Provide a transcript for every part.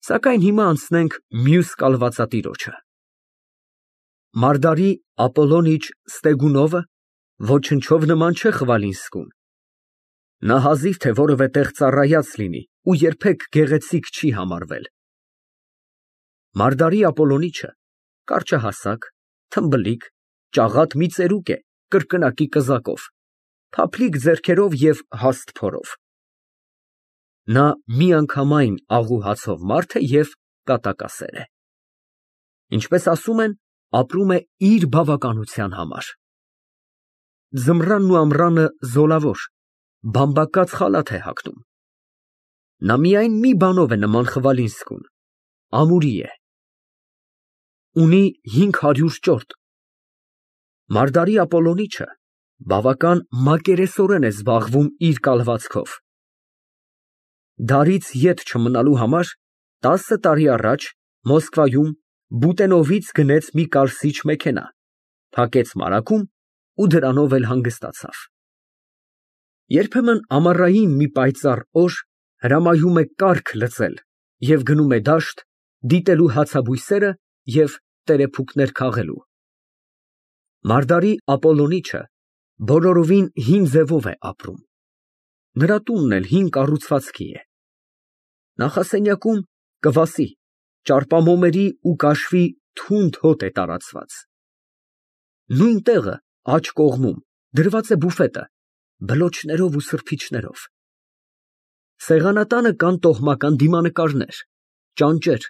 Սակայն հիմա անցնենք մյուս կալվածատիրոջը։ Մարգարի Ապոլոնիչ Ստեգունովը ոչնչով նման չէ Խվալինսկուն։ Նա հազիվ թե որևէ տեղ ծառայած լինի ու երբեք գեղեցիկ չի համարվել։ Մարգարի Ապոլոնիչը կարճահասակ, թմբլիկ, ճաղատ մի ծերուկ է կրկնակի կզակով, փափլիկ ձեռքերով և հաստ փորով։ Նա միանգամայն աղու հացով մարդ է և կատակասեր է։ Ինչպես ասում են, ապրում է իր բավականության համար։ Ձմռանն ու ամռանը զոլավոր, բամբակած խալաթ է հագնում։ Նա միայն մի բանով է նման Խվալինսկուն, ամուրի է։ Ունի 500 ճորտ։ Մարգարի Ապոլոնիչը բավական մակերեսորեն է զբաղվում իր կալվածքով։ Դարից ետ չմնալու համար 10 տարի առաջ Մոսկվայում Բուտենովից գնեց մի կարսիչ մեքենա, փակեց մարագում ու դրանով էլ հանգստացավ։ Երբեմն ամառային մի պայծառ օր հրամայում է կառք լծել և գնում է դաշտ, դիտելու հացաբույսերը և տերեփուկներ քաղելու։ Մարգարի Ապոլոնիչը բոլորովին հին ձևով է ապրում։ Նրա տունն էլ հին կառուցվածքի է։ Նախասենյակում կվասի, ճարպամոմերի ու կաշվի թունդ հոտ է տարածված։ Նույն տեղը աջ կողմում դրված է բուֆետը բլոչներով ու սրբիչներով։ Սեղանատանը կան տոհմական դիմանկարներ, ճանճեր,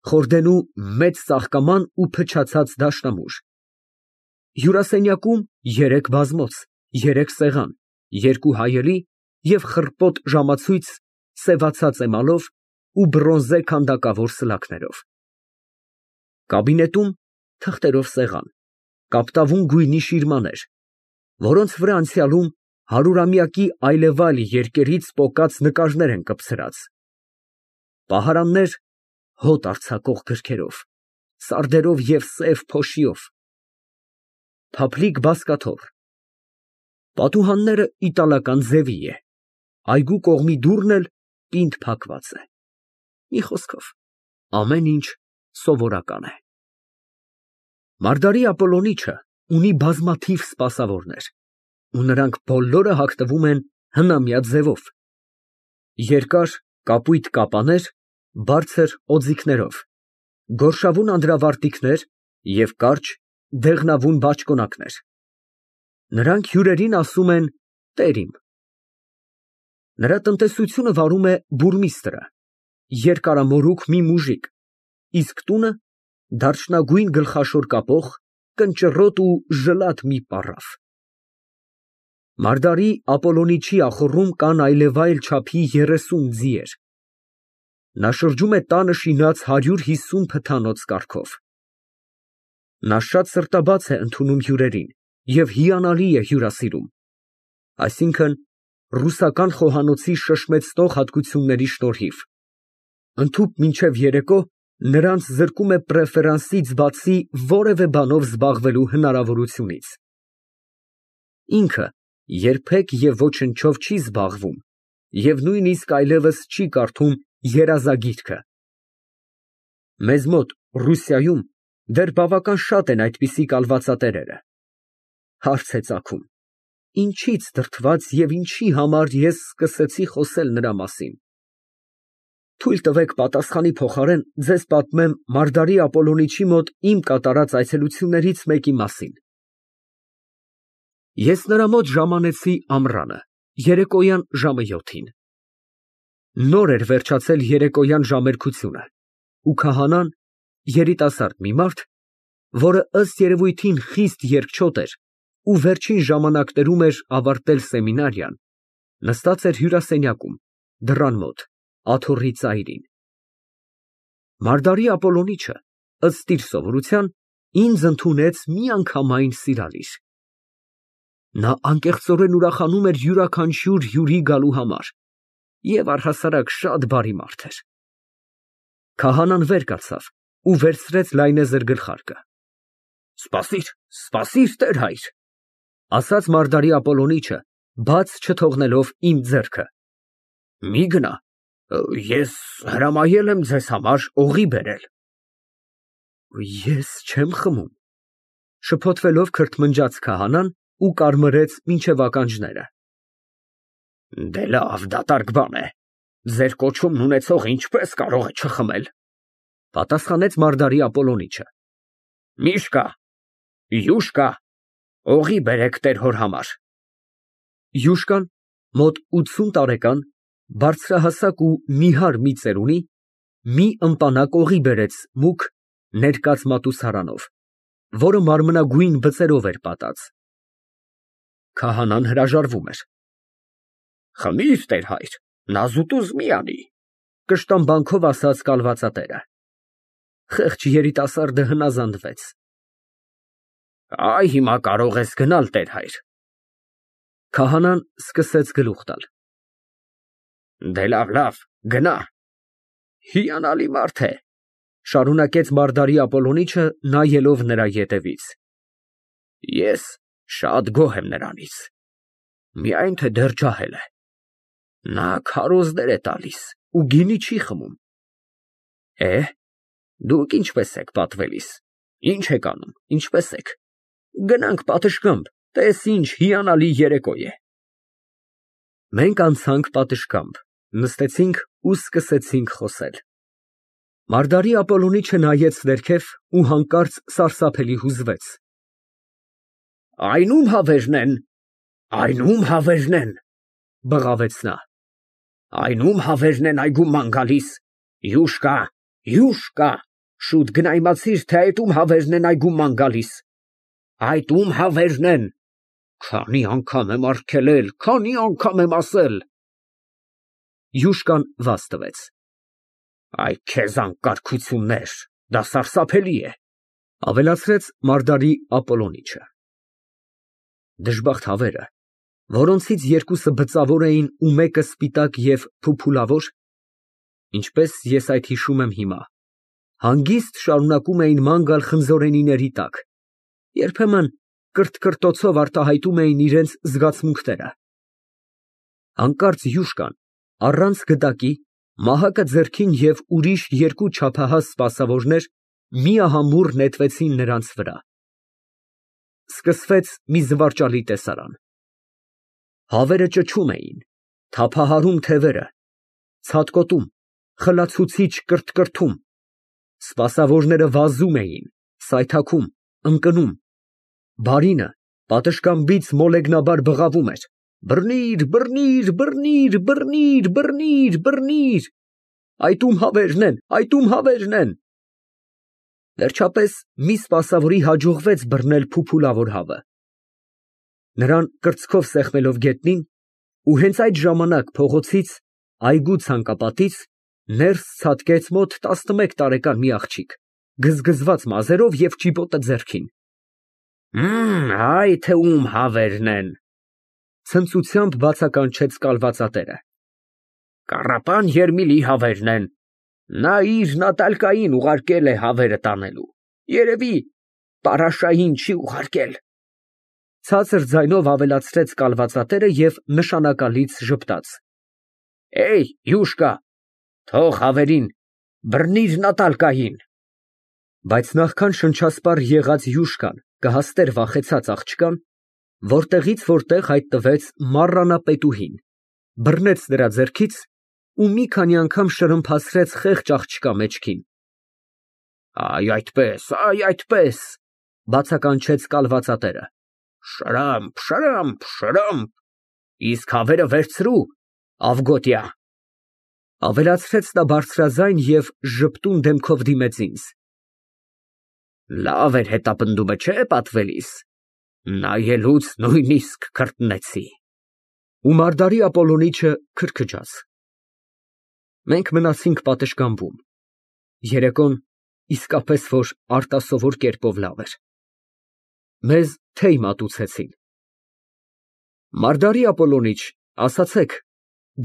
խորդենու մեծ ծաղկաման ու փչացած դաշնամուր։ Հյուրասենյակում 3 բազմոց, 3 սեղան, 2 հայելի և խռպոտ ժամացույց սևացած էմալով ու բրոնզե քանդակավոր սլաքներով։ Կաբինետում թղթերով սեղան, կապտավուն գույնի շիրմաներ, որոնց վրա անցյալում հարյուրամյակի այլևայլ երկերից պոկած նկարներ են կպցրած։ Պահարաններ հոտ արձակող գրքերով, սարդերով և սև փոշիով։ Փափլիկ բազկաթոռ։ Պատուհանները իտալական ձևի է, այգու կողմի դուռն էլ պինդ փակված է։ Մի խոսքով, ամեն ինչ սովորական է։ Մարգարի Ապոլոնիչը ունի բազմաթիվ սպասավորներ, ու նրանք բոլորը հագնվում են հնամյա ձևով. երկար կապույտ կապաներ բարձր օձիքներով, գորշավուն անդրավարտիքներ և կարճ դեղնավուն բաճկոնակներ։ Նրանք հյուրերին ասում են տերիմ։ Նրա տնտեսությունը վարում է բուրմիստրը, երկարամորուք մի մուժիկ, իսկ տունը դարչնագույն գլխաշոր կապող, կնճռոտ ու ժլատ մի պառավ։ Մարգարի Ապոլոնիչի ախոռում կան այլևայլ չափի 30 ձիեր։ Նա շրջում է տանը շինած 150 փթանոց կառքով։ Նա շատ սրտաբաց է ընդունում հյուրերին և հիանալի է հյուրասիրում, այսինքն ռուսական խոհանոցի շշմեցնող հատկությունների շնորհիվ, ընդհուպ մինչև երեկո նրանց զրկում է պրեֆերանսից բացի որևէ բանով զբաղվելու հնարավորությունից։ Ինքը երբեք և ոչնչով չի զբաղվում և նույնիսկ այլևս չի կարդում երազագիրքը։ Մեզ մոտ Ռուսիայում դեռ բավական շատ են այդպիսի կալվածատերերը։ Հարց է ծագում. ինչից դրդված և ինչի համար ես սկսեցի խոսել նրա մասին։ Թույլ տվեք պատասխանի փոխարեն ձեզ պատմեմ Մարգարի Ապոլոնիչի մոտ իմ կատարած այցելություններից մեկի մասին։ Ես նրա մոտ ժամանեցի ամռանը, երեկոյան ժամը 7-ին։ Նոր էր վերջացել երեկոյան ժամերգությունը, ու քահանան, երիտասարդ մի մարդ, որը ըստ երևույթին խիստ երկչոտ էր ու վերջին ժամանակներում էր ավարտել սեմինարիան, նստած էր հյուրասենյակում, դռան մոտ, աթոռի ծայրին։ Մարգարի Ապոլոնիչը, ըստ իր սովորության, ինձ ընդունեց միանգամայն սիրալիր։ Նա անկեղծորեն ուրախանում էր յուրաքանչյուր հյուրի գալու համար և առհասարակ շատ բարի մարդ էր։ Քահանան վեր կացավ ու վերցրեց լայնեզր գլխարկը։ Սպասիր, սպասիր, տեր֊հայր, ասաց Մարգարի Ապոլոնիչը, բաց չթողնելով իմ ձեռքը։ Մի գնա, Ես հրամայել եմ ձեզ համար օղի բերել։ Ես չեմ խմում, շփոթվելով քրթմնջաց քահանան ու կարմրեց մինչև ականջները։ Դե լավ, դատարկ բան է։ Ձեր կոչումն ունեցողը ինչպես կարող է չխմել, պատասխանեց Մարգարի Ապոլոնիչը։ Միշկա, յուշկա, օղի բերեք տեր հոր համար։ Յուշկան մոտ 80 տարեկան, բարձրահասակ ու նիհար մի ծերունի, մի ըմպանակ օղի բերեց մուգ, ներկած մատուցարանով, որը մարմնագույն բծերով էր պատած։ Քահանան հրաժարվում էր։ Խմիր, տեր հայր, նազուտուզ մի անի, կշտամբանքով ասաց կալվածատերը։ Խեղճ երիտասարդը հնազանդվեց։ Այ հիմա կարող ես գնալ, տեր հայր։ Քահանան սկսեց գլուխ տալ։ Դե լավ, գնա։ Հիանալի մարդ է, շարունակեց Մարգարի Ապոլոնիչը, նայելով նրա ետևից։ Ես շատ գոհ եմ նրանից, միայն թե դեռ ջահել է։ Նա քարոզներ է տալիս ու գինի չի խմում։ Դուք ինչպես եք պատվելիս, ինչ եք անում, ինչպես եք։ Գնանք պատշգամբ, տես ինչ հիանալի երեկո է։ Մենք անցանք պատշգամբ, նստեցինք ու սկսեցինք խոսել։ Մարգարի Ապոլոնիչը նայեց ներքև ու հանկարծ սարսափելի հուզվեց։ Այն ում հավերն են, այն ում հավերն են, բղավեց նա։ Այն ում հավերն են այգում ման գալիս, յուշկա, յուշկա, շուտ գնա իմացիր, թե այդ ում հավերն են այգում ման գալիս։ Այդ ում հավերն են, քանի անգամ եմ արգելել, քանի անգամ եմ ասել։ Յուշկան վազ տվեց։ Այ քեզ անկարգություններ, դա սարսափելի է, ավելացրեց Մարգարի Ապոլոնիչը։ Դժբախտ հավերը, որոնցից երկուսը բծավոր էին ու մեկը սպիտակ և փուփուլավոր, ինչպես ես այդ հիշում եմ հիմա, հանգիստ շարունակում էին ման գալ խնձորենիների տակ, երբեմն կրթկրտոցով արտահայտում էին իրենց զգացմունքները։ Հանկարծ յուշկան, առանց գդակի, մահակը ձեռքին և ուրիշ երկու չափահաս սպասավորներ միահամուռ նետվեցին նրանց վրա։ Սկսվեց մի զվարճալի տեսարան։ Հավերը ճչում էին, թափահարում թևերը, ցատկոտում, խլացուցիչ կրթկրթում, սպասավորները վազում էին, սայթաքում, ընկնում, բարինը պատշգամբից մոլեգնաբար բղավում էր. բռնիր, բռնիր, բռնիր, բռնիր, բռնիր, բռնիր, այդ ում հավերն են, այդ ում հավերն են։ Վերջապես մի սպասավորի հաջողվեց բռնել փուփուլավոր հավը։ Նրան կրծքով սեղմելով գետնին, ու հենց այդ ժամանակ փողոցից, այգու ցանկապատից ներս ցատկեց մոտ 11 տարեկան մի աղջիկ, գզգզված մազերով և ճիպոտը ձեռքին։ Այ թե ում հավերն են, ցնծությամբ բացականչեց կալվածատերը։ Կառապան Երմիլի հավերն են, նա իր նատալկային ուղարկել է հավերը տանելու, երևի պարաշային չի ուղարկել։ Ցածր ձայնով ավելացրեց կալվածատերը և նշանակալից ժպտաց։ Յուշկա, թող հավերին, բռնիր նատալկային։ Բայց նախքան շնչասպառ եղած յուշկան կհասներ վախեցած աղջկան, որտեղից որտեղ հայտնվեց մառանապետուհին, բռնեց նրա ձեռքից ու մի քանի անգամ շրմփացրեց խեղճ աղջկա մեջքին։ Այ այդպես, բացականչեց կալվածատերը։ Շրամփ, շրամփ, շրամփ, իսկ հավերը վերցրու, Ավգոտյա, ավելացրեց նա բարձրաձայն և ժպտուն դեմքով դիմեց ինձ։ Լավ էր հետապնդումը, չէ՞ պատվելիս, նայելուց նույնիսկ քրտնեցի։ Ու Մարգարի Ապոլոնիչը քրքջաց։ Մենք մնացինք պատշգամբում։ Երեկոն իսկապես որ արտասովոր կերպով լավ էր։ Մեզ թեյ մատուցեցին։ Մարգարի Ապոլոնիչ, ասացեք,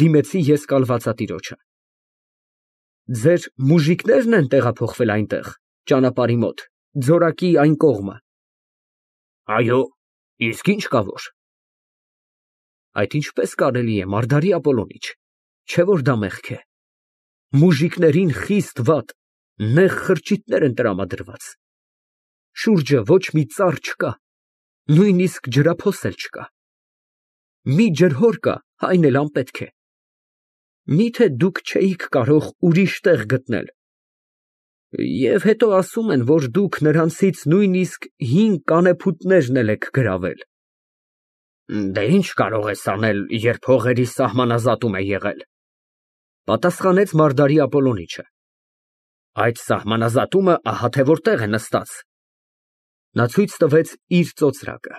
դիմեցի ես կալվածատիրոջը։ Ձեր մուժիկնե՞րն են տեղափոխվել այնտեղ, ճանապարհի մոտ, ձորակի այն կողմը։ Այո, իսկ ինչ կա որ։ Այդ ինչպես կարելի է, Մարգարի Ապոլոնիչ, չէ՞ որ դա մեղք է։ Մուժիկներին խիստ վատ, նեղ խրճիթներ են տրամադրված։ Շուրջը ոչ մի ծառ չկա, նույնիսկ ջրափոս էլ չկա։ Մի ջրհոր կա, այն էլ անպետք է։ Միթե դուք չէիք կարող ուրիշ տեղ գտնել։ Եվ հետո ասում են, որ դուք նրանցից նույնիսկ 5 կանեփութներն եք գրավել։ Դե ինչ կարող ես անել, երբ հողերի սահմանազատում է եղել, պատասխանեց Մարգարի Ապոլոնիչը։ Այդ սահմանազատումը ահա թե որտեղ է նստած։ Նա ցույց տվեց իր ծոծրակը։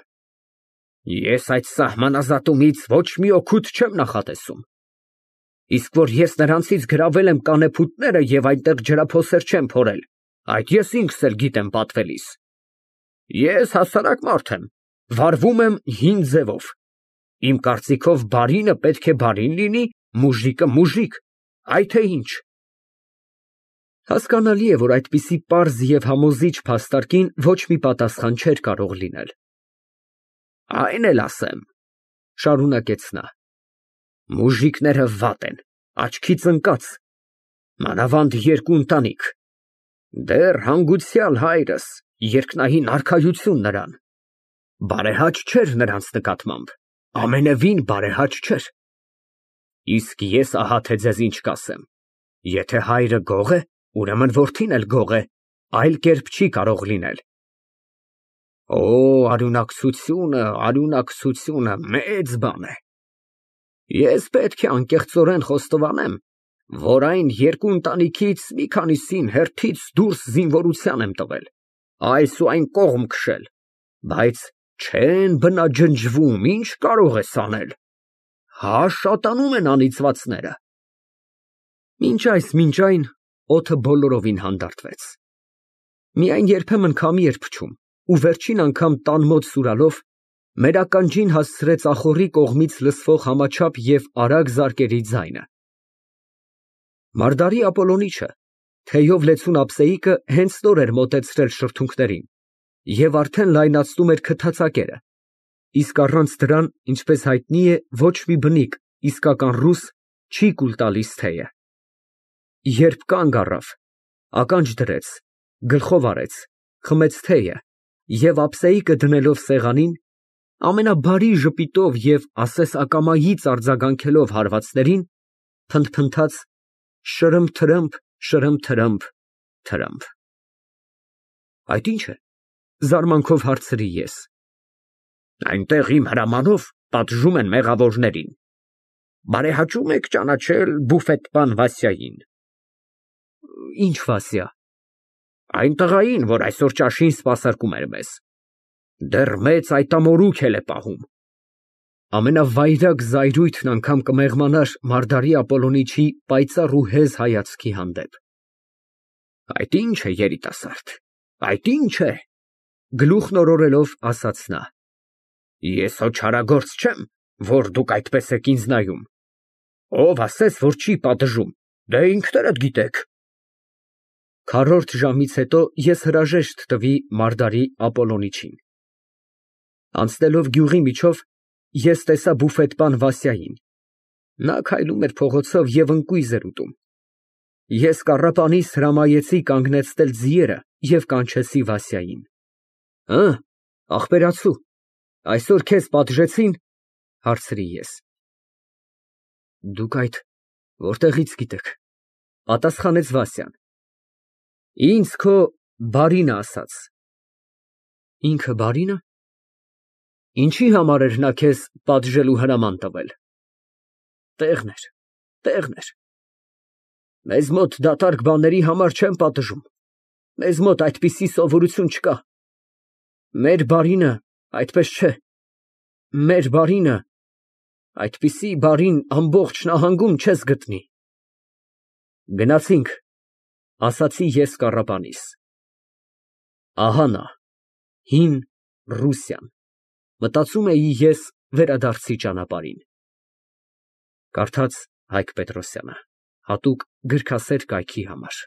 Ես այդ սահմանազատումից ոչ մի օգուտ չեմ նախատեսում։ Իսկ որ ես նրանցից գրավել եմ կանեփութները և այնտեղ ջրափոսեր չեմ փորել, այդ ես ինքս էլ գիտեմ պատվելիս։ Ես հասարակ մարդ եմ, վարվում եմ հին ձևով։ Իմ կարծիքով բարինը պետք է բարին լինի, մուժիկը մուժիկ, այ թե ինչ։ Հասկանալի է, որ այդպիսի պարզ և համոզիչ փաստարկին ոչ մի պատասխան չէր կարող լինել։ Այն էլ ասեմ, շարունակեց նա, մուժիկները վատ են, աչքից ընկած, մանավանդ երկու ընտանիք, դեռ հանգուցյալ հայրս, երկնային արքայություն նրան, բարեհաճ չէր նրանց նկատմամբ, ամենևին բարեհաճ չէր։ Իսկ ես ահա թե ձեզ ինչ կասեմ, եթե հայրը գող է, ուրեմն որդին էլ գող է, այլ կերպ չի կարող լինել։ Օ, արյունակցությունը մեծ բան է։ Ես պետք է անկեղծորեն խոստովանեմ, որ այն երկու ընտանիքից մի քանիսին հերթից դուրս զինվորության եմ տվել, այս ու այն կողմ քշել, բայց չեն բնաջնջվում, ինչ կարող ես անել։ Հա, շատանում են անիծվածները։ Մինչ այն օդը բոլորովին հանդարտվեց։ Միայն երբեմն քամի էր փչում, ու վերջին անգամ տան մոտ սուրալով մեր ականջին հասցրեց ախոռի կողմից լսվող համաչափ և արագ զարկերի ձայնը։ Մարգարի Ապոլոնիչը, թեյով լեցուն ափսեիկը հենց նոր էր մոտեցրել շրթունքներին և արդեն լայնացնում էր քթածակերը, իսկ առանց դրան, ինչպես հայտնի է, ոչ մի բնիկ, իսկական ռուս, չի կուլ տալիս թեյը։ Երբ կանգ առավ, ականջ դրեց, գլխով արեց, խմեց թեյը և ափսեիկը դնելով սեղանին, ամենաբարի ժպիտով և ասես ակամայից արձագանքելով հարվածներին, փնթփնթաց շրըմփ, թրըմփ։ Այդ ի՞նչ է, զարմանքով հարցրի ես։ Այնտեղ իմ հրամանով պատժում են մեղավորներին։ Բարեհաճում եք ճանաչել բուֆետպան Վասյային։ Ի՞նչ Վասյա։ Այն տղային, որ այսօր ճաշին սպասարկում էր մեզ։ Դեռ մեծ այտամորուք է պահում։ Ամենավայրագ զայրույթն անգամ կմեղմանար Մարգարի Ապոլոնիչի պայծառ ու հեզ հայացքի հանդեպ։ Այդ ի՞նչ է, երիտասարդ, այդ ի՞նչ է, գլուխն օրորելով ասաց նա։ Ես հո չարագործ չեմ, որ դուք այդպես եք ինձ նայում։ Ով ասեց, որ չի պատժում, դե ինքներդ գիտեք։ Քառորդ ժամից հետո ես հրաժեշտ տվի Մարգարի Ապոլոնիչին։ Անցնելով գյուղի միջով, ես տեսա բուֆետպան Վասյային։ Նա քայլում էր փողոցով և ընկույզ էր ուտում։ Ես կառապանիս հրամայեցի կանգնեցնել ձիերը և կանչեցի Վասյային։ Ախպերացու, այսօր քեզ պատժեցի՞ն, հարցրի ես։ Դուք այդ որտեղից գիտեք, պատասխանեց Վասյան։ Ինձ քո բարինը ասաց։ Ինքը բարինը։ Ինչի համար էր նա քեզ պատժելու հրաման տվել։ Տեղն էր։ Մեզ մոտ դատարկ բաների համար չեն պատժում, մեզ մոտ այդպիսի սովորություն չկա։ Մեր բարինը այդպես չէ, մեր բարինը, այդպիսի բարին ամբողջ նահանգում չես գտնի։ Գնացինք, ասացի ես կառապանիս։ Ահա նա, հին Ռուսիան, մտածում էի ես վերադարձի ճանապարհին։ Կարդաց Հայկ Պետրոսյանը, հատուկ գրքասեր կայքի համար։